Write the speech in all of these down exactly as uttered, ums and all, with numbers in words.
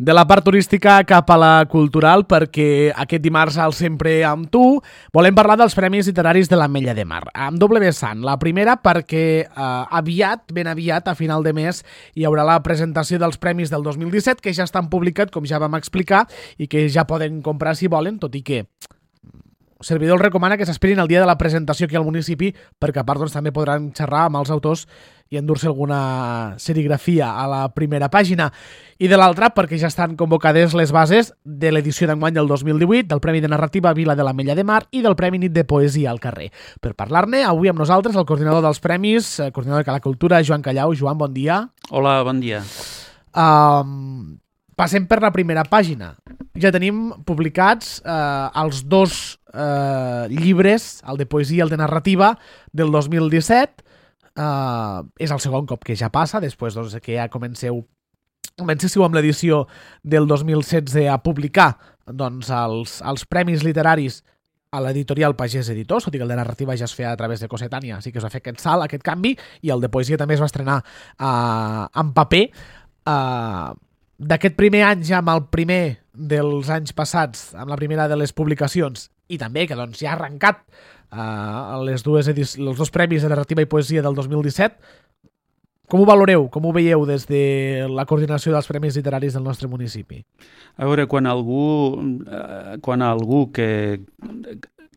De la part turística cap a la cultural, perquè aquest dimarts al Sempre amb tu volem parlar dels Premis Literaris de l'Ametlla de Mar, amb doble vessant. La primera perquè eh, aviat, ben aviat, a final de mes, hi haurà la presentació dels Premis del dos mil disset, que ja estan publicats, com ja vam explicar, i que ja poden comprar si volen, tot i que el servidor els recomana que s'esperin el dia de la presentació aquí al municipi, perquè a part doncs, també podran xerrar amb els autors i endur-se alguna serigrafia a la primera pàgina. I de l'altra, perquè ja estan convocades les bases de l'edició d'enguany del dos mil divuit, del Premi de Narrativa Vila de l'Ametlla de Mar i del Premi Nit de Poesia al carrer. Per parlar-ne, avui amb nosaltres el coordinador dels premis, el coordinador de Cala Cultura, Joan Callau. Joan, bon dia. Hola, bon dia. Um, passem per la primera pàgina. Ja tenim publicats eh, els dos eh, llibres, el de poesia i el de narrativa, del dos mil disset. Uh, és el segon cop que ja passa, després doncs, que ja comenceu comencéssiu amb l'edició del dos mil setze a publicar doncs, els, els premis literaris a l'editorial Pagès Editors, tot i que el de narrativa ja es feia a través de Cossetània, així que es va fer aquest salt, aquest canvi, i el de poesia també es va estrenar uh, en paper. Uh, d'aquest primer any ja amb el primer dels anys passats, amb la primera de les publicacions, i també que doncs, ja ha arrencat Uh, les dues edic- els dos premis de narrativa i poesia del dos mil disset. Com ho valoreu? Com ho veieu des de la coordinació dels premis literaris del nostre municipi? A veure, quan algú, eh, quan algú que,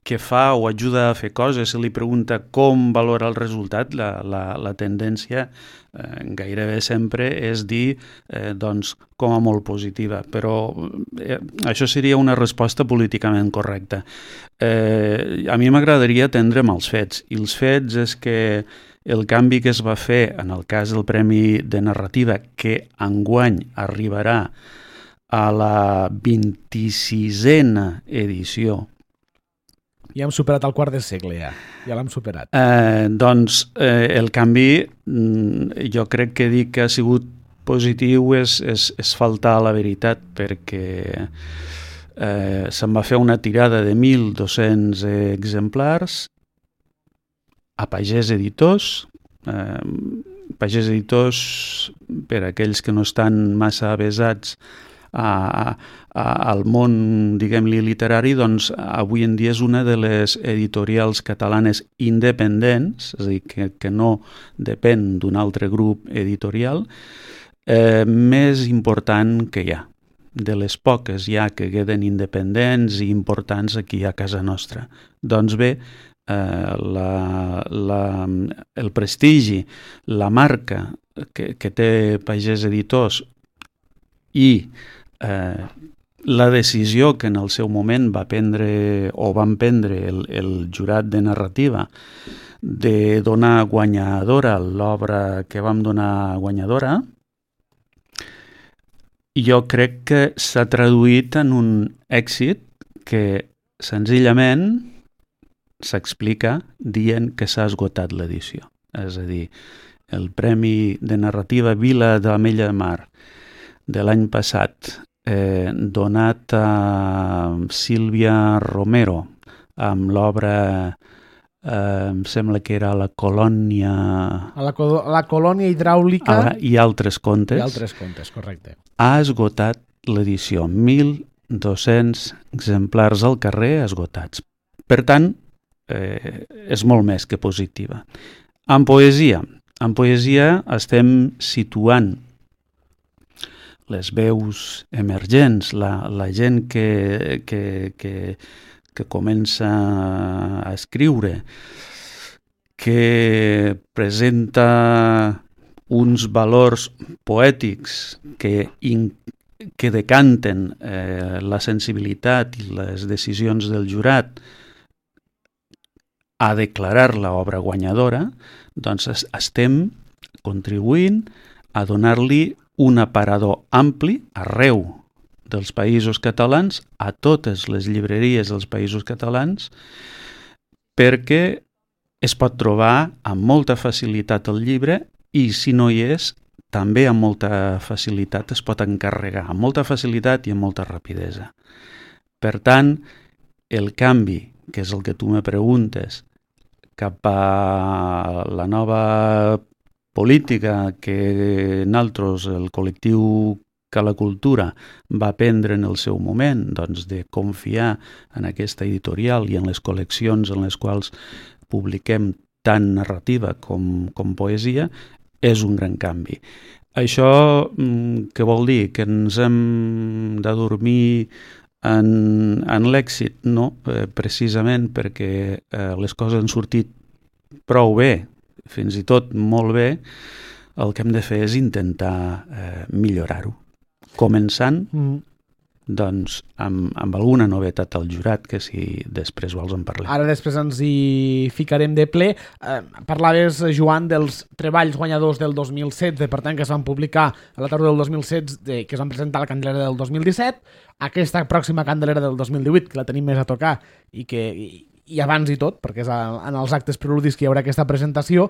que fa o ajuda a fer coses se li pregunta com valora el resultat, la, la, la tendència eh, gairebé sempre és dir eh, doncs, com a molt positiva, però eh, això seria una resposta políticament correcta. Eh, a mi m'agradaria atendre'm als fets, i els fets és que el canvi que es va fer en el cas del Premi de Narrativa, que enguany arribarà a la vint-i-sisena edició. Ja hem superat el quart de segle, ja. Ja l'hem superat. Eh, doncs eh, el canvi, jo crec que dir que ha sigut positiu és, és, és faltar a la veritat, perquè eh, se'n va fer una tirada de mil dos-cents exemplars a Pagès Editors. Eh, Pagès Editors, per aquells que no estan massa avesats a, a, al món, diguem-li, literari, doncs avui en dia és una de les editorials catalanes independents, és a dir, que, que no depèn d'un altre grup editorial, eh, més important que hi ha. De les poques ja que queden independents i importants aquí a casa nostra. Doncs bé, eh, la, la, el prestigi, la marca que, que té Pagès Editors i eh, la decisió que en el seu moment va prendre o van prendre el, el jurat de narrativa de donar guanyadora l'obra que vam donar guanyadora, jo crec que s'ha traduït en un èxit que senzillament s'explica dient que s'ha esgotat l'edició. És a dir, el Premi de Narrativa Vila de l'Ametlla de Mar de l'any passat, eh, donat a Sílvia Romero amb l'obra, eh, em sembla que era La Colònia... A la, la colònia hidràulica... Ah, i altres contes. I altres contes, correcte. Ha esgotat l'edició. mil dos-cents exemplars al carrer esgotats. Per tant, eh, és molt més que positiva. En poesia, en poesia estem situant les veus emergents, la, la gent que, que, que, que comença a escriure, que presenta uns valors poètics que, in, que decanten eh, la sensibilitat i les decisions del jurat a declarar l'obra guanyadora, doncs estem contribuint a donar-li un aparador ampli arreu dels països catalans, a totes les llibreries dels països catalans, perquè es pot trobar amb molta facilitat el llibre i, si no hi és, també amb molta facilitat es pot encarregar, amb molta facilitat i amb molta rapidesa. Per tant, el canvi, que és el que tu me preguntes, cap a la nova política que nosaltres, el col·lectiu que la cultura va prendre en el seu moment, doncs de confiar en aquesta editorial i en les col·leccions en les quals publiquem tant narrativa com, com poesia, és un gran canvi. Això què vol dir? Que ens hem de dormir en, en l'èxit? No, eh, precisament perquè eh, les coses han sortit prou bé, fins i tot molt bé. El que hem de fer és intentar eh, millorar-ho. Començant mm. doncs, amb, amb alguna novetat al jurat, que si després vols en parlem. Ara després ens hi ficarem de ple. Eh, parlaves, Joan, dels treballs guanyadors del dos mil setze, per tant, que es van publicar a la tardor del dos mil setze, que es van presentar a la Candelera del dos mil disset, aquesta pròxima Candelera del dos mil divuit, que la tenim més a tocar, i que... I, i abans i tot, perquè és en els actes preludis que hi haurà aquesta presentació,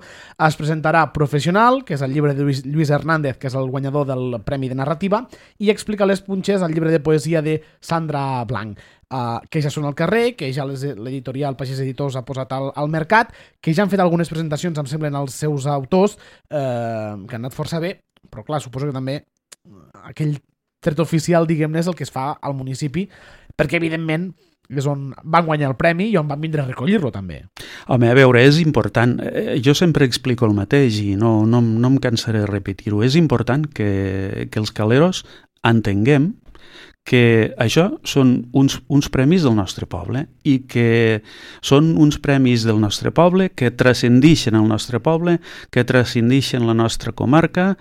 es presentarà Professional, que és el llibre de Lluís, Lluís Hernández, que és el guanyador del Premi de Narrativa, i Explica les punxes, el llibre de poesia de Sandra Blanc, uh, que ja són al carrer, que ja l'editorial Pagès Editors ha posat al, al mercat, que ja han fet algunes presentacions, em semblen, als seus autors, uh, que han anat força bé, però clar, suposo que també aquell tret oficial, diguem-ne, és el que es fa al municipi, perquè evidentment és on van guanyar el premi i on van vindre a recollir-lo també. Home, a veure, és important. Jo sempre explico el mateix i no, no, no em cansaré de repetir-ho. És important que, que els caleros entenguem que això són uns, uns premis del nostre poble i que són uns premis del nostre poble que transcendixen el nostre poble, que transcendixen la nostra comarca,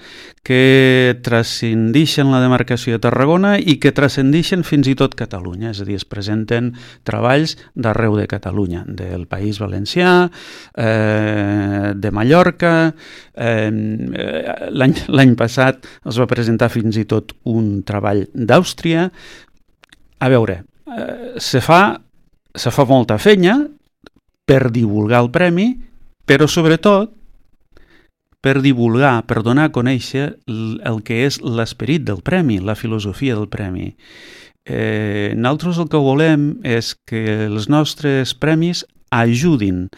que transcendixen la demarcació de Tarragona i que transcendixen fins i tot Catalunya. És a dir, es presenten treballs d'arreu de Catalunya, del País Valencià, eh, de Mallorca. Eh, l'any, l'any passat es va presentar fins i tot un treball d'Àustria. A veure, eh, se fa, se fa molta feina per divulgar el premi, però sobretot per divulgar, per donar a conèixer el, el que és l'esperit del premi, la filosofia del premi. Eh, nosaltres el que volem és que els nostres premis ajudin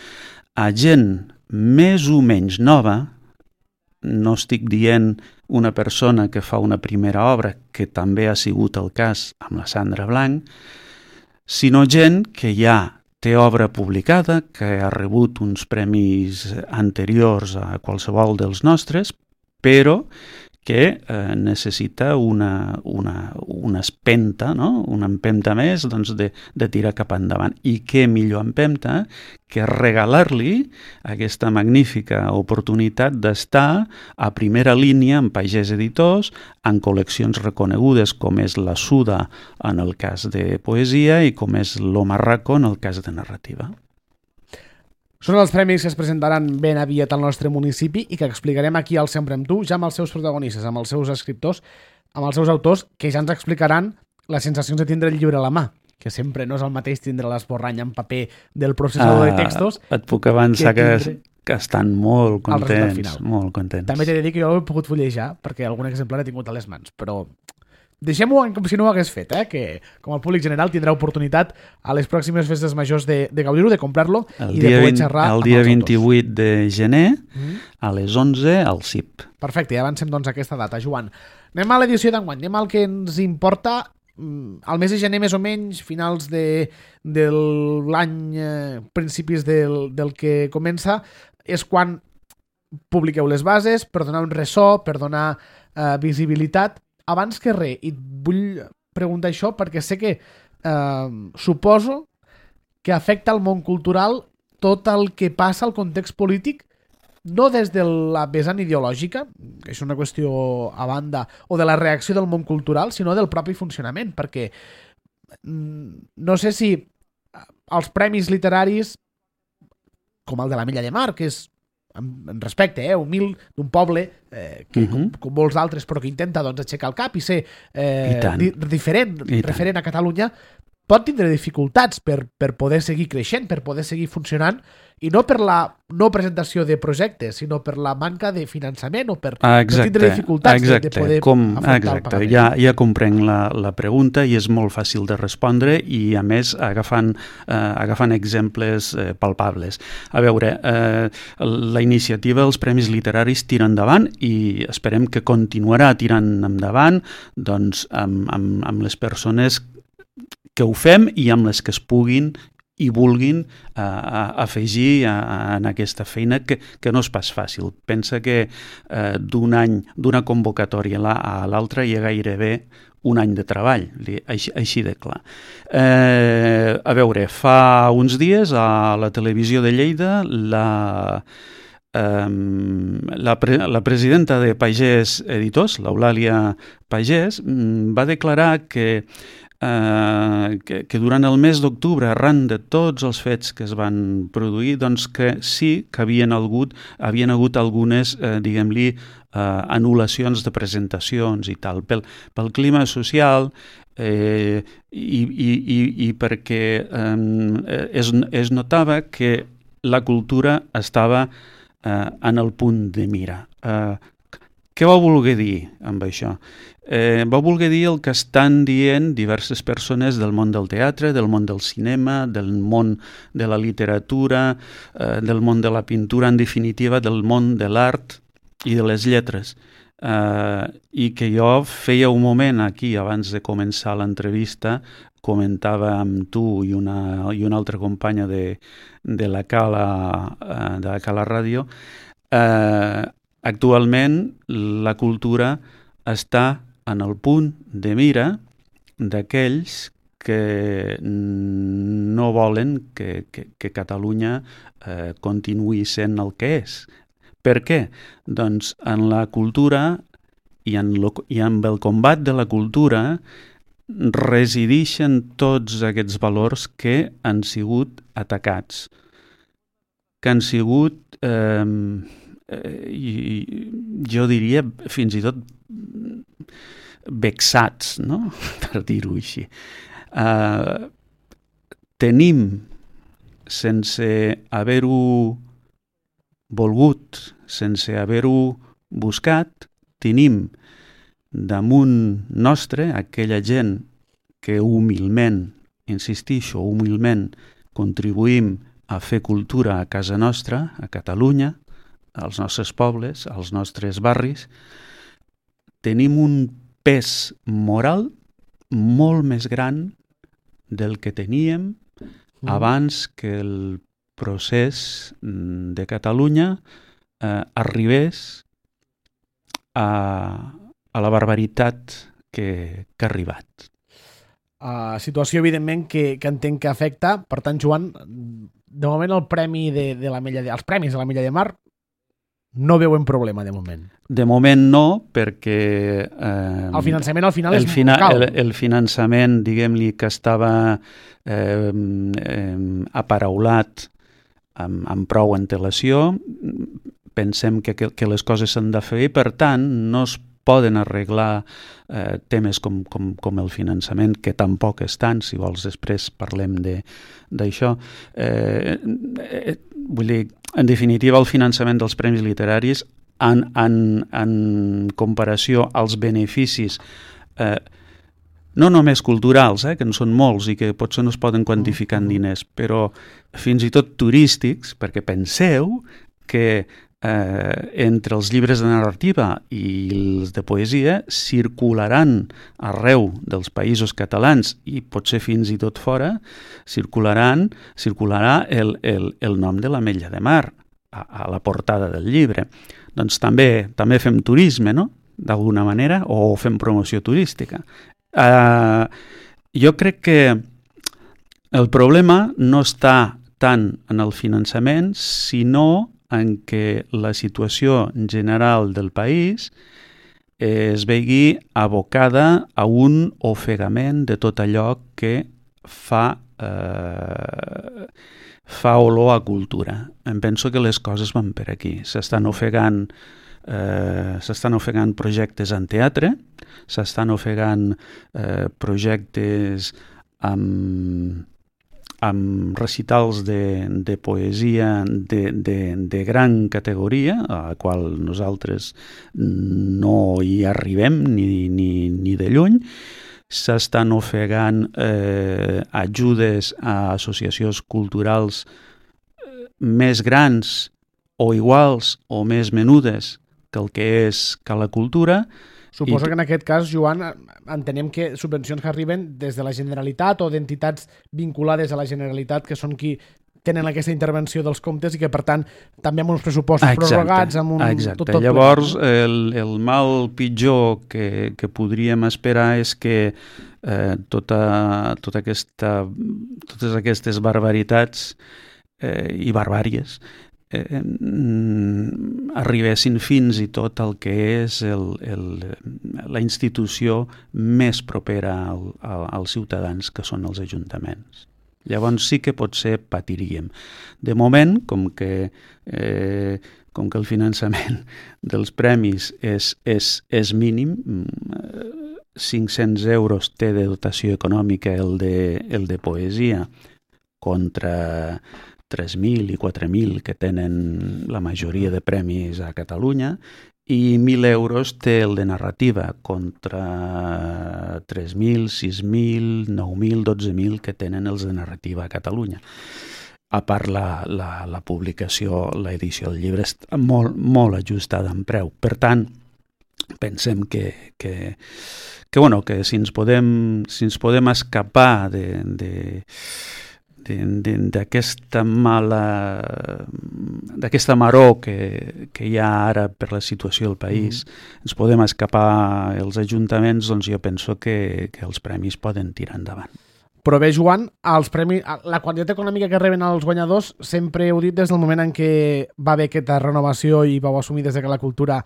a gent més o menys nova. No estic dient una persona que fa una primera obra, que també ha sigut el cas amb la Sandra Blanc, sinó gent que ja té obra publicada, que ha rebut uns premis anteriors a qualsevol dels nostres, però que eh, necessita una, una, una espenta, no? Una empenta més doncs, de, de tirar cap endavant. I què millor empenta que regalar-li aquesta magnífica oportunitat d'estar a primera línia en Pagès Editors, en col·leccions reconegudes com és la Suda en el cas de poesia i com és l'Omarraco en el cas de narrativa. Són els premis que es presentaran ben aviat al nostre municipi i que explicarem aquí al Sempre amb tu, ja amb els seus protagonistes, amb els seus escriptors, amb els seus autors, que ja ens explicaran les sensacions de tindre el llibre a la mà, que sempre no és el mateix tindre l'esborrany en paper del processador ah, de textos. Et puc avançar que, que, que estan molt contents, molt contents. També t'he de dir que jo ho he pogut fullejar, perquè algun exemplar he tingut a les mans, però deixem-ho com si no ho hagués fet, eh? Que com el públic general tindrà oportunitat a les pròximes festes majors de, de gaudir-ho, de comprar-lo i de poder xerrar el dia vint-i-vuit de gener mm. a les onze al C I P. Perfecte, ja avancem doncs aquesta data. Joan, anem a l'edició d'enguany, anem al que ens importa. Al mes de gener, més o menys, finals de, de l'any, eh, principis del, del que comença, és quan publiqueu les bases per donar un ressò, per donar eh, visibilitat. Abans que res, i et vull preguntar això perquè sé que eh, suposo que afecta al món cultural tot el que passa al context polític, no des de la vessant ideològica, que és una qüestió a banda, o de la reacció del món cultural, sinó del propi funcionament, perquè no sé si els premis literaris, com el de la Milla de Mar, que és en respecte, eh, humil, d'un poble eh, que, uh-huh. com, com molts altres, però que intenta doncs, aixecar el cap i ser eh, I di- diferent, I referent tant. a Catalunya, pot tindre dificultats per, per poder seguir creixent, per poder seguir funcionant, i no per la no presentació de projectes, sinó per la manca de finançament o per exacte, no tindre dificultats exacte, de, de poder com, afrontar exacte, el pagament. Ja, ja comprenc la, la pregunta i és molt fàcil de respondre i, a més, agafant, eh, agafant exemples eh, palpables. A veure, eh, la iniciativa dels Premis Literaris tira endavant i esperem que continuarà tirant endavant doncs, amb, amb, amb les persones que ho fem i amb les que es puguin i vulguin uh, afegir a, a, en aquesta feina que, que no és pas fàcil. Pensa que uh, d'un any, d'una convocatòria a l'altra hi ha gairebé un any de treball, així, així de clar. Eh, a veure, fa uns dies a la televisió de Lleida la, eh, la, pre, la presidenta de Pagès Editors, l'Eulàlia Pagès, va declarar que Uh, que, que durant el mes d'octubre, arran de tots els fets que es van produir, doncs que sí que havien hagut, havien hagut algunes, uh, diguem-li, uh, anul·lacions de presentacions i tal, pel, pel clima social eh, i, i, i, i perquè um, es, es notava que la cultura estava uh, en el punt de mira. Uh, què va voler dir amb això? Eh, va voler dir el que estan dient diverses persones del món del teatre, del món del cinema, del món de la literatura, eh, del món de la pintura, en definitiva, del món de l'art i de les lletres. Eh, I que jo feia un moment aquí, abans de començar l'entrevista, comentava amb tu i una, i una altra companya de, de la Cala, eh, de la Cala Ràdio, eh, actualment la cultura està en el punt de mira d'aquells que no volen que, que, que Catalunya eh, continuï sent el que és. Per què? Doncs en la cultura i, en lo, i amb el combat de la cultura resideixen tots aquests valors que han sigut atacats, que han sigut, eh, eh, jo diria, fins i tot vexats, no? Per dir-ho així. Uh, tenim, sense haver-ho volgut, sense haver-ho buscat, tenim damunt nostre aquella gent que humilment, insistixo, humilment contribuïm a fer cultura a casa nostra, a Catalunya, als nostres pobles, als nostres barris. Tenim un pes moral molt més gran del que teníem mm. abans que el procés de Catalunya eh, arribés a, a la barbaritat que, que ha arribat. Uh, situació, evidentment, que, que entenc que afecta. Per tant, Joan, de moment el premi de, de la Mella de, els premis de la Mella de Mar no veuen problema, de moment. De moment no, perquè... Eh, el finançament al final el és fina, local. El, el finançament, diguem-li, que estava eh, eh, aparaulat amb, amb prou antelació, pensem que, que, que les coses s'han de fer i, per tant, no es poden arreglar eh, temes com, com, com el finançament, que tampoc és tant, si vols després parlem d'això. Eh, eh, vull dir, en definitiva, el finançament dels premis literaris, en, en, en comparació als beneficis, eh, no només culturals, eh, que en són molts i que potser no es poden quantificar en diners, però fins i tot turístics, perquè penseu que Eh, entre els llibres de narrativa i els de poesia circularan arreu dels països catalans i potser fins i tot fora, circularan, circularà el, el, el nom de l'Ametlla de Mar a, a la portada del llibre. Doncs també, també fem turisme, no?, d'alguna manera, o fem promoció turística. Eh, jo crec que el problema no està tant en el finançament, sinó en què la situació general del país es vegi abocada a un ofegament de tot allò que fa, eh, fa olor a cultura. Em penso que les coses van per aquí. S'estan ofegant, eh, s'estan ofegant projectes en teatre, s'estan ofegant eh, projectes amb, amb recitals de, de poesia de, de, de gran categoria, a la qual nosaltres no hi arribem ni, ni, ni de lluny. S'estan ofegant eh, ajudes a associacions culturals més grans o iguals o més menudes que el que és que la cultura. Suposo I... que en aquest cas, Joan, entenem que subvencions que arriben des de la Generalitat o d'entitats vinculades a la Generalitat, que són qui tenen aquesta intervenció dels comptes i que, per tant, també amb uns pressupostos exacte, prorrogats, amb un... Exacte. Tot, tot Llavors, ple. el, el mal pitjor que, que podríem esperar és que eh, tota, tota aquesta, totes aquestes barbaritats eh, i barbàries eh, arribessin fins i tot al que és el, el, la institució més propera al, al, als ciutadans, que són els ajuntaments. Llavors sí que potser patiríem. De moment, com que, eh, com que el finançament dels premis és, és, és mínim, cinc-cents euros té de dotació econòmica el de, el de poesia contra tres mil i quatre mil que tenen la majoria de premis a Catalunya, i mil euros té el de narrativa contra tres mil, sis mil, nou mil, dotze mil que tenen els de narrativa a Catalunya. A part la, la, la publicació, l'edició del llibre està molt, molt ajustada en preu. Per tant, pensem que, que, que, bueno, que si ens podem, si ens podem escapar de... de d'aquesta mala d'aquesta maror que, que hi ha ara per la situació del país, mm. ens podem escapar els ajuntaments, doncs jo penso que, que els premis poden tirar endavant. Però bé, Joan, els premis, la quantitat econòmica que reben els guanyadors sempre heu dit des del moment en què va haver aquesta renovació i vau assumir des de que la cultura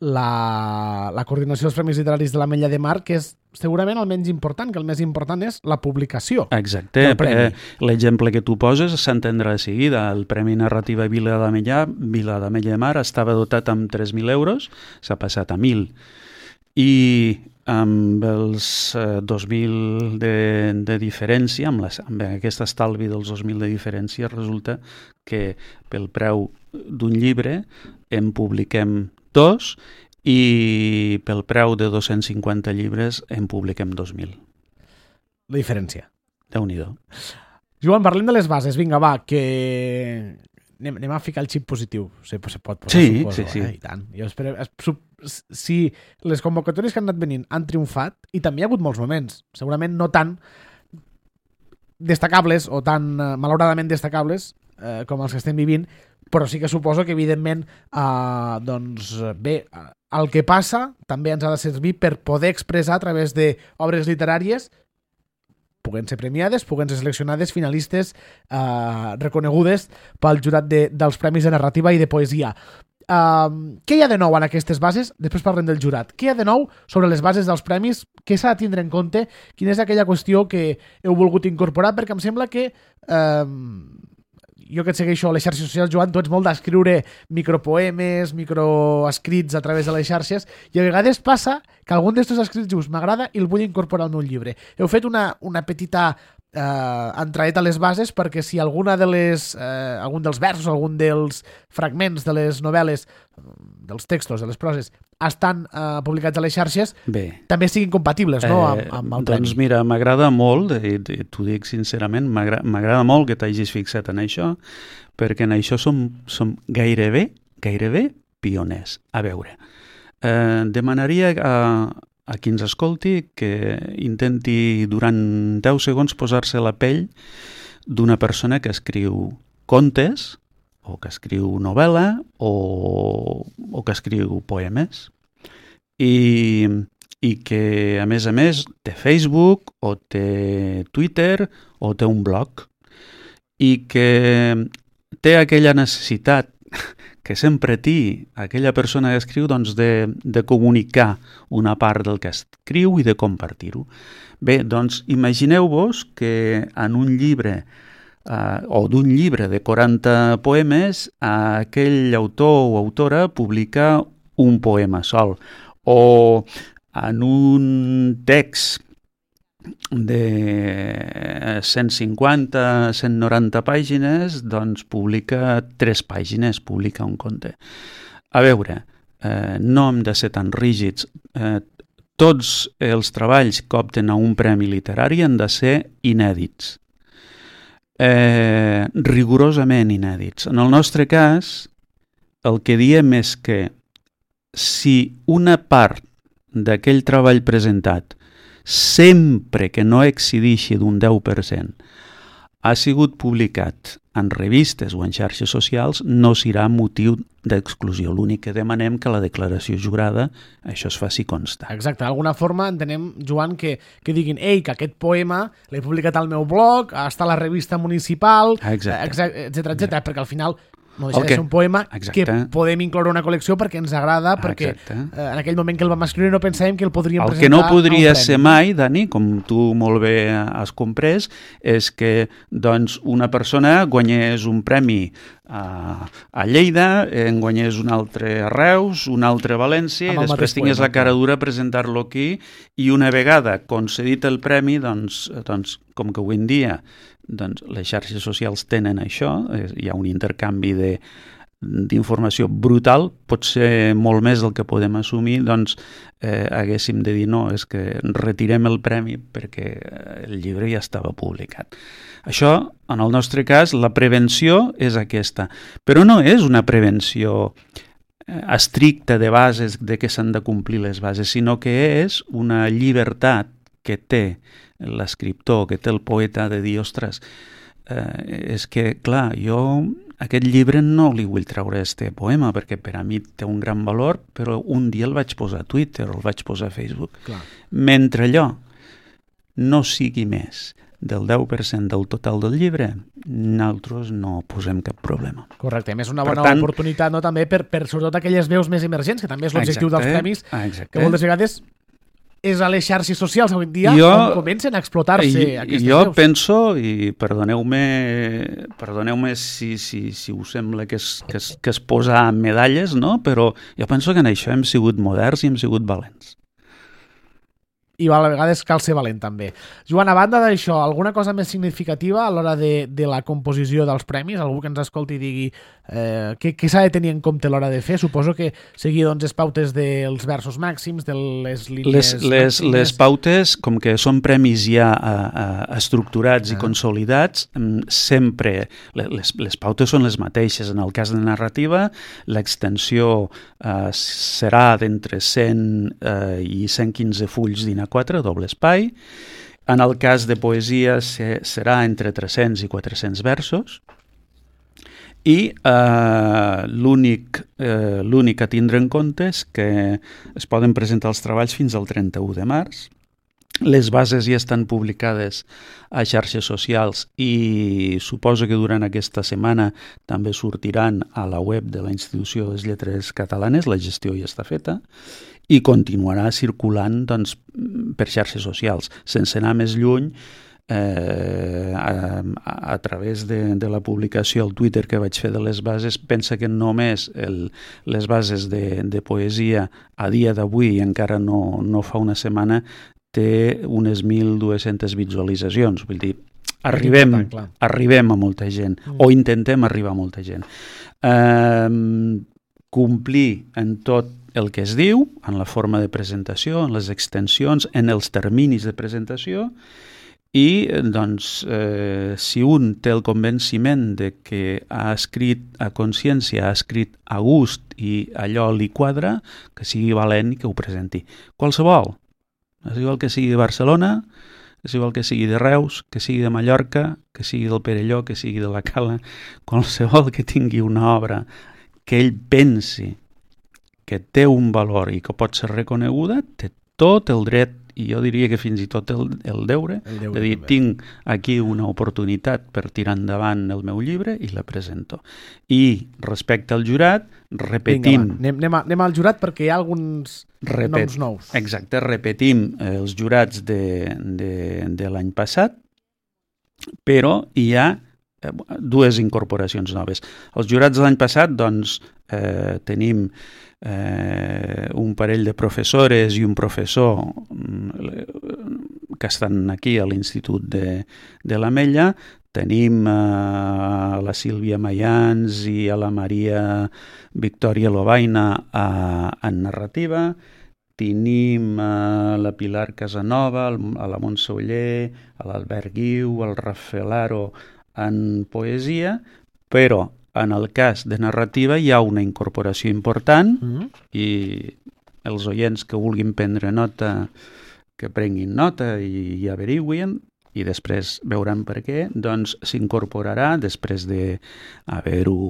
la, la coordinació dels Premis Literaris de l'Ametlla de Mar, que és segurament el menys important, que el més important és la publicació. Exacte. Eh, l'exemple que tu poses s'entendrà de seguida. El Premi Narrativa Vila d'Ametlla, Vila d'Ametlla de Mar estava dotat amb tres mil euros, s'ha passat a mil. I amb els eh, dos mil de, de diferència, amb, les, amb aquest estalvi dels dos mil de diferència, resulta que pel preu d'un llibre en publiquem dos i pel preu de dos-cents cinquanta llibres en publiquem dos mil. La diferència. Déu-n'hi-do. Joan, parlem de les bases. Vinga, va, que... Anem, anem a ficar el xip positiu. Se, se pot posar, sí, suposo. Sí, sí. Eh? I tant. Jo espero, si les convocatòries que han anat venint han triomfat, i també hi ha hagut molts moments, segurament no tan destacables o tan eh, malauradament destacables eh, com els que estem vivint, però sí que suposo que, evidentment, eh, doncs, bé, el que passa també ens ha de servir per poder expressar a través d'obres literàries puguen ser premiades, puguen ser seleccionades, finalistes, eh, reconegudes pel jurat de, dels Premis de Narrativa i de Poesia. Uh, què hi ha de nou en aquestes bases? Després parlem del jurat. Què hi ha de nou sobre les bases dels premis? Què s'ha de tindre en compte? Quina és aquella qüestió que heu volgut incorporar? Perquè em sembla que... Uh, jo que et segueixo a les xarxes socials, Joan, tu ets molt d'escriure micropoemes, microescrits a través de les xarxes, i a vegades passa que algun d'estos escrits dius m'agrada i el vull incorporar al meu llibre. Heu fet una, una petita eh, entraet a les bases perquè si alguna de les, eh, algun dels versos, algun dels fragments de les novel·les, dels textos, de les proses, estan eh, publicats a les xarxes, bé, també siguin compatibles, no?, amb, amb el premi. Doncs mira, m'agrada molt, i t'ho dic sincerament, m'agrada molt que t'hagis fixat en això, perquè en això som, som gairebé, gairebé pioners. A veure, eh, demanaria a, a qui ens escolti que intenti durant deu segons posar-se la pell d'una persona que escriu contes, o que escriu novel·la, o, o que escriu poemes, i, i que, a més a més, té Facebook, o té Twitter, o té un blog, i que té aquella necessitat que sempre té aquella persona que escriu, doncs, de, de comunicar una part del que escriu i de compartir-ho. Bé, doncs, imagineu-vos que en un llibre Uh, o d'un llibre de quaranta poemes, uh, aquell autor o autora publica un poema sol, o en un text de cent cinquanta a cent noranta pàgines, doncs publica tres pàgines, publica un conte. A veure, eh, no hem de ser tan rígids. Eh, tots els treballs que opten a un premi literari han de ser inèdits. Eh, rigorosament inèdits. En el nostre cas, el que diem és que si una part d'aquell treball presentat, sempre que no excedeixi d'un deu per cent, ha sigut publicat en revistes o en xarxes socials, no serà motiu d'exclusió. L'únic que demanem que la declaració jurada això es faci constar. Exacte, d'alguna forma entenem, Joan, que, que diguin ei, que aquest poema l'he publicat al meu blog, està a la revista municipal, etcètera, etcètera, perquè al final no deixa de ser un poema Exacte. que podem incloure una col·lecció perquè ens agrada, perquè eh, en aquell moment que el vam escriure no pensàvem que el podríem el presentar. El que no podria ser mai, Dani, com tu molt bé has comprès, és que doncs, una persona guanyés un premi a, a Lleida, en guanyés un altre a Reus, un altre a València, i després tingués poema, la cara dura a presentar-lo aquí, i una vegada concedit el premi, doncs, doncs com que avui en dia doncs les xarxes socials tenen això, hi ha un intercanvi de, d'informació brutal, pot ser molt més del que podem assumir, doncs eh, haguéssim de dir no, és que retirem el premi perquè el llibre ja estava publicat. Això, en el nostre cas, la prevenció és aquesta, però no és una prevenció estricta de bases, de que s'han de complir les bases, sinó que és una llibertat que té l'escriptor, que té el poeta de dir, ostres, eh, és que, clar, jo aquest llibre no li vull treure este poema perquè per a mi té un gran valor, però un dia el vaig posar a Twitter o el vaig posar a Facebook. Clar. Mentre allò no sigui més del deu per cent del total del llibre, nosaltres no posem cap problema. Correcte, a més una bona tant, oportunitat no, també per, per sobretot aquelles veus més emergents, que també és l'objectiu dels premis, exacte. Que moltes vegades és a les xarxes socials avui en dia jo, on comencen a explotar-se aquestes jo veus. Penso, i perdoneu-me perdoneu-me si, si, si us sembla que es, que, es, que es posa medalles, no? Però jo penso que en això hem sigut moderns i hem sigut valents. I a vegades cal ser valent també. Joan, a banda d'això, alguna cosa més significativa a l'hora de, de la composició dels premis? Algú que ens escolti i digui eh, què, què s'ha de tenir en compte a l'hora de fer? Suposo que seguir doncs, les pautes dels versos màxims, de les línies les, les, les pautes, com que són premis ja a, a, estructurats ah. i consolidats, sempre les, les pautes són les mateixes. En el cas de narrativa, l'extensió eh, serà d'entre cent eh, i cent quinze fulls d'I N A quatre, doble espai. En el cas de poesia se, serà entre tres-cents i quatre-cents versos. I eh, l'únic, eh, l'únic a tindre en compte és que es poden presentar els treballs fins al trenta-u de març. Les bases ja estan publicades a xarxes socials i suposo que durant aquesta setmana també sortiran a la web de la Institució de les Lletres Catalanes, la gestió ja està feta, i continuarà circulant doncs, per xarxes socials, sense anar més lluny, eh, a, a través de, de la publicació al Twitter que vaig fer de les bases. Pensa que només el, les bases de, de poesia a dia d'avui, encara no, no fa una setmana, té unes mil dues-centes visualitzacions. Vull dir, arribem, arribem a molta gent, mm. o intentem arribar a molta gent. Eh, complir en tot el que es diu, en la forma de presentació, en les extensions, en els terminis de presentació, i doncs, eh, si un té el convenciment de que ha escrit a consciència, ha escrit a gust i allò li quadra, que sigui valent i que ho presenti. Qualsevol. És igual que sigui de Barcelona, és igual que sigui de Reus, que sigui de Mallorca, que sigui del Perelló, que sigui de la Cala, qualsevol que tingui una obra que ell pensi que té un valor i que pot ser reconeguda, té tot el dret, i jo diria que fins i tot el, el deure, el deure de dir, també. Tinc aquí una oportunitat per tirar endavant el meu llibre i la presento. I respecte al jurat, repetim... Vinga, anem, anem, a, anem al jurat perquè hi ha alguns Repet, noms nous. Exacte, repetim els jurats de, de, de l'any passat, però hi ha dues incorporacions noves. Els jurats de l'any passat, doncs, eh, tenim eh, un parell de professores i un professor que estan aquí a l'Institut de, de l'Ametlla. Tenim a la Sílvia Mayans i a la Maria Victòria Lobaina a, en narrativa. Tenim a la Pilar Casanova, a la Montse Oller, a l'Albert Guiu, al Rafael Aro en poesia, però en el cas de narrativa hi ha una incorporació important mm-hmm. i els oients que vulguin prendre nota, que prenguin nota i, i averiguin, i després veuran per què, doncs s'incorporarà després d'haver-ho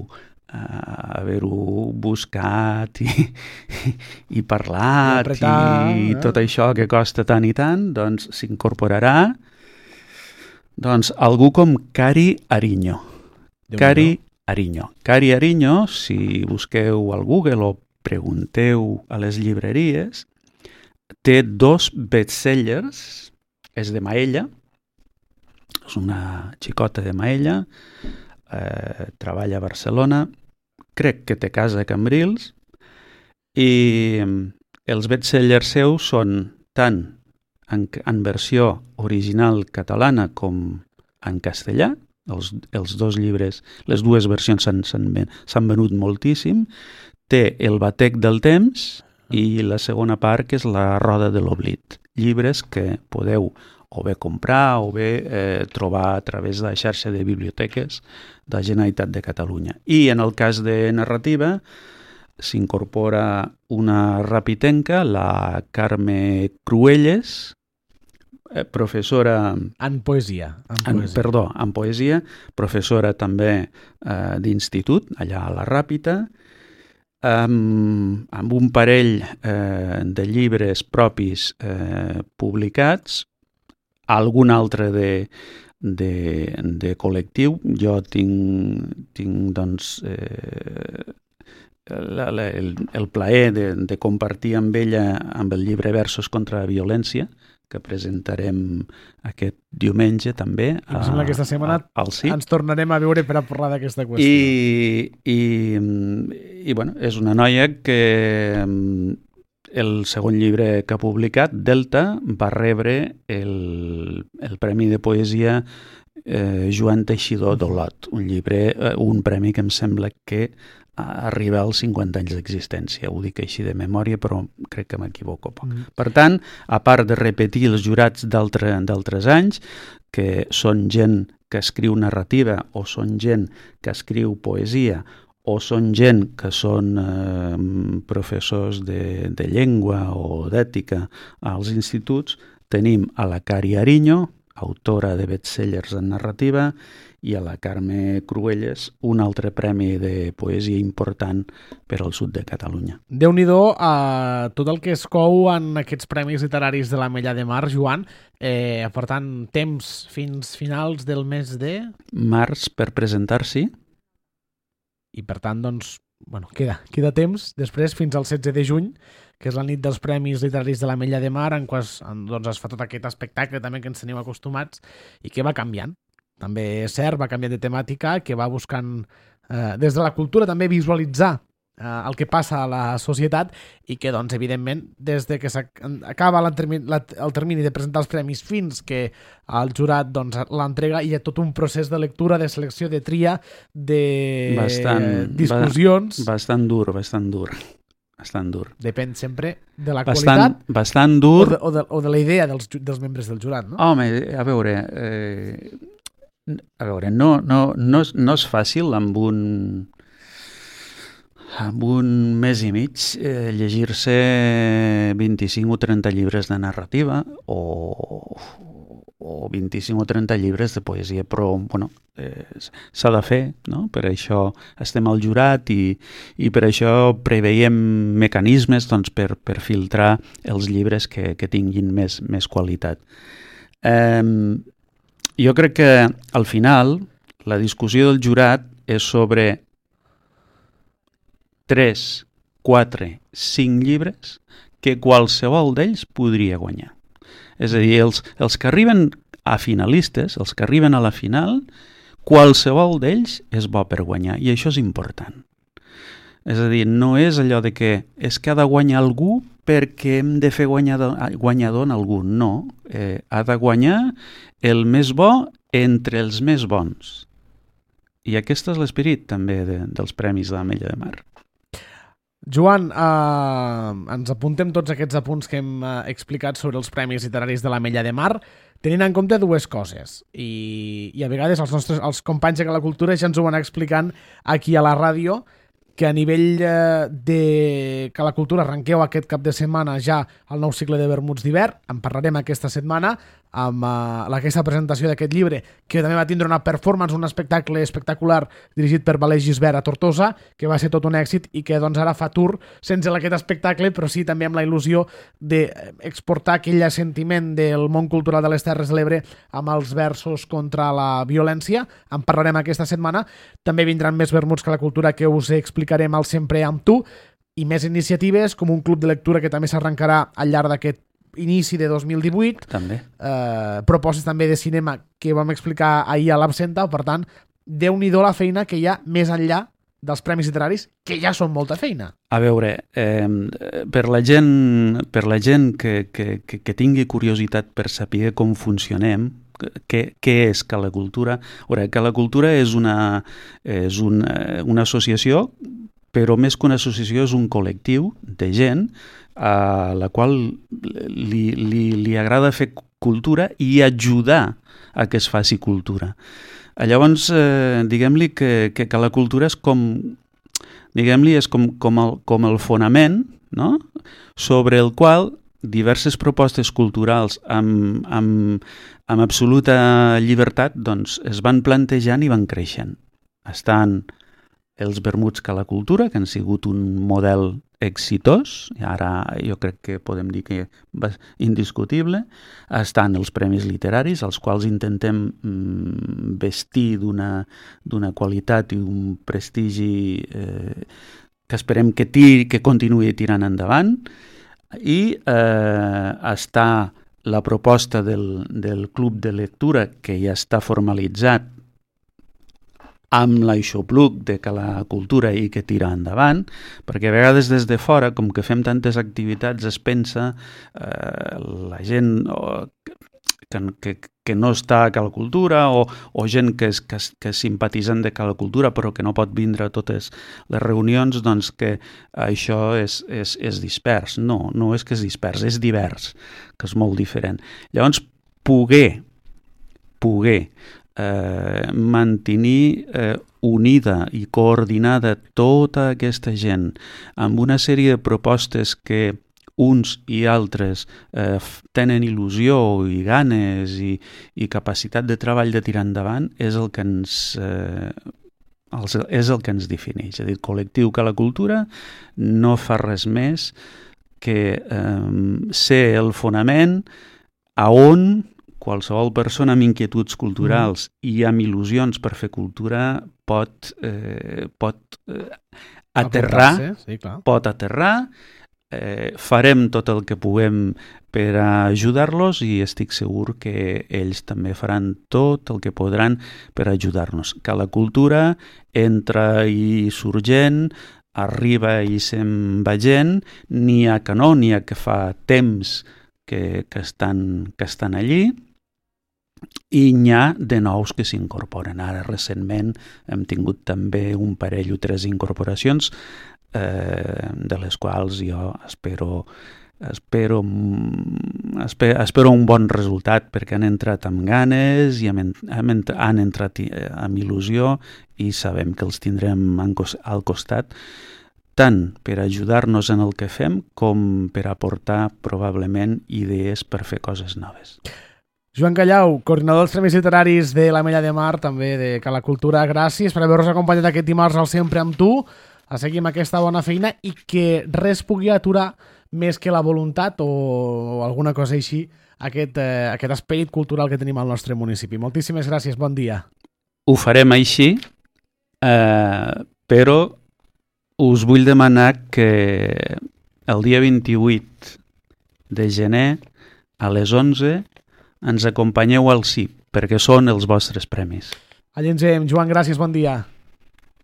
Uh, haver-ho buscat i, i, i parlat i, apretar, i eh? tot això que costa tant i tant, doncs s'incorporarà doncs algú com Cari Ariño. Cari Ariño. Cari Ariño, si busqueu al Google o pregunteu a les llibreries, té dos bestsellers, és de Maella, és una xicota de Maella, Eh, treballa a Barcelona, crec que té casa a Cambrils, i els bestsellers seus són tant en, en versió original catalana com en castellà. Els, els dos llibres, les dues versions s'han venut moltíssim. Té El batec del temps i la segona part, que és La roda de l'oblit. Llibres que podeu o bé comprar o bé eh, trobar a través de la xarxa de biblioteques de la Generalitat de Catalunya. I en el cas de narrativa s'incorpora una rapitenca, la Carme Cruelles, eh, professora... En poesia. En en, poesia. Perdó, en poesia, professora també eh, d'institut, allà a la Ràpita, amb, amb un parell eh, de llibres propis eh, publicats, algun altre de, de, de col·lectiu. Jo tinc, tinc doncs, eh, la, la, el, el plaer de, de compartir amb ella amb el llibre Versos contra la violència, que presentarem aquest diumenge també. I em sembla que aquesta setmana a, al C I T. Ens tornarem a veure per a parlar d'aquesta qüestió. I, i, i bueno, és una noia que el segon llibre que ha publicat, Delta, va rebre el, el Premi de Poesia eh, Joan Teixidor d'Olot, un llibre, eh, un premi que em sembla que arriba als cinquanta anys d'existència. Ho dic així de memòria, però crec que m'equivoco poc. Mm. Per tant, a part de repetir els jurats d'altres anys, que són gent que escriu narrativa o són gent que escriu poesia o són gent que són eh, professors de, de llengua o d'ètica als instituts, tenim a la Cari Ariño, autora de bestsellers en narrativa, i a la Carme Cruelles, un altre premi de poesia important per al sud de Catalunya. Déu-n'hi-do a tot el que es cou en aquests premis literaris de l'Ametlla de Mar, Joan. Eh, per tant, temps fins finals del mes de... Març per presentar-s'hi. I per tant, doncs, bueno, queda, queda temps després fins al setze de juny, que és la nit dels Premis Literaris de l'Ametlla de Mar, en què es, doncs, es fa tot aquest espectacle també que ens tenim acostumats i que va canviant. També és cert, va canviar de temàtica, que va buscant eh, des de la cultura també visualitzar eh, el que passa a la societat i que, doncs, evidentment, des de que s'acaba el termini de presentar els premis fins que el jurat doncs, l'entrega, hi ha tot un procés de lectura, de selecció, de tria, de bastant, discussions... Bastant dur, bastant dur. Bastant dur. Depèn sempre de la bastant, qualitat bastant dur. O, de, o, de, o de la idea dels, dels membres del jurat, no? Home, a veure... Eh... A veure, no, no, no, és, no és fàcil amb un, amb un mes i mig eh, llegir-se vint-i-cinc o trenta llibres de narrativa o, o vint-i-cinc o trenta llibres de poesia, però bueno, eh, s'ha de fer, no? Per això estem al jurat i, i per això preveiem mecanismes doncs, per, per filtrar els llibres que, que tinguin més, més qualitat. Eh, Jo crec que, al final, la discussió del jurat és sobre tres, quatre, cinc llibres que qualsevol d'ells podria guanyar. És a dir, els, els que arriben a finalistes, els que arriben a la final, qualsevol d'ells és bo per guanyar, i això és important. És a dir, no és allò de que és que ha de guanyar algú perquè hem de fer guanyador, guanyador en algú. No, eh, ha de guanyar el més bo entre els més bons. I aquest és l'esperit també de, dels Premis de l'Ametlla de Mar. Joan, eh, ens apuntem tots aquests apunts que hem eh, explicat sobre els Premis Literaris de l'Ametlla de Mar, tenint en compte dues coses. I, i a vegades els nostres els companys de la cultura ja ens ho van explicant aquí a la ràdio, que a nivell eh, de que la cultura arrenqueu aquest cap de setmana ja el nou cicle de vermuts d'hivern. En parlarem aquesta setmana amb uh, aquesta presentació d'aquest llibre, que també va tindre una performance, un espectacle espectacular dirigit per Valer Gisbert a Tortosa, que va ser tot un èxit i que doncs ara fa tour sense aquest espectacle, però sí també amb la il·lusió d'exportar aquell sentiment del món cultural de les Terres de l'Ebre amb els versos contra la violència. En parlarem aquesta setmana. També vindran més vermuts que la cultura, que us explicarem al Sempre amb tu, i més iniciatives com un club de lectura que també s'arrencarà al llarg d'aquest inici de dos mil divuit, també. Eh, propostes també de cinema que vam explicar ahir a l'Absenta. Per tant, déu-n'hi-do la feina que hi ha més enllà dels premis literaris, que ja són molta feina. A veure, eh, per la gent, per la gent que, que, que, que tingui curiositat per saber com funcionem, què, què és Cala Cultura? Veure, Cala Cultura és una, és una, una associació, però més que una associació és un col·lectiu de gent a la qual li, li, li agrada fer cultura i ajudar a que es faci cultura. Llavors, eh, diguem-li que, que, que la cultura és com, diguem-li, és com, com, el, com el fonament, no?, sobre el qual diverses propostes culturals amb, amb, amb absoluta llibertat doncs, es van plantejant i van creixent. Estan els vermuts Cala Cultura, que han sigut un model exitós, i ara jo crec que podem dir que va indiscutible. Estan els premis literaris, els quals intentem mm, vestir d'una d'una qualitat i un prestigi eh, que esperem que, tiri, que continuï tirant endavant. I eh, està la proposta del, del club de lectura, que ja està formalitzat amb l'aixopluc de Cala Cultura i que tira endavant, perquè a vegades des de fora, com que fem tantes activitats, es pensa eh, la gent oh, que, que, que no està a Cala Cultura o, o gent que és, que, que és simpatitzant de Cala Cultura però que no pot vindre a totes les reunions, doncs que això és, és, és dispers. No, no és que és dispers, és divers, que és molt diferent. Llavors, poder, poder Eh, mantenir eh, unida i coordinada tota aquesta gent amb una sèrie de propostes que uns i altres eh, tenen il·lusió i ganes i, i capacitat de treball de tirar endavant és el que ens eh, els, és el que ens defineix. És a dir, el col·lectiu Cala Cultura no fa res més que eh, ser el fonament a on qualsevol persona amb inquietuds culturals mm. i amb il·lusions per fer cultura pot, eh, pot eh, aterrar, sí, clar. pot aterrar, eh, farem tot el que puguem per ajudar-los i estic segur que ells també faran tot el que podran per ajudar-nos. Que la cultura entra i surt gent, arriba i se'n va gent, n'hi ha que no, n'hi ha que fa temps que, que, estan, que estan allí, i n'hi ha de nous que s'incorporen. Ara recentment hem tingut també un parell o tres incorporacions eh, de les quals jo espero, espero, espero, espero un bon resultat perquè han entrat amb ganes i han, han entrat amb il·lusió i sabem que els tindrem al costat tant per ajudar-nos en el que fem com per aportar probablement idees per fer coses noves. Joan Callau, coordinador dels Premis Literaris de l'Ametlla de Mar, també de Cala Cultura, gràcies per haver-nos acompanyat aquest dimarts al Sempre amb tu, a seguir amb aquesta bona feina i que res pugui aturar més que la voluntat o alguna cosa així aquest, eh, aquest esperit cultural que tenim al nostre municipi. Moltíssimes gràcies, bon dia. Ho farem així, eh, però us vull demanar que el dia vint-i-vuit de gener a les onze ens acompanyeu al C I P, perquè són els vostres premis. Allà ens veiem. Joan, gràcies, bon dia.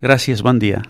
Gràcies, bon dia.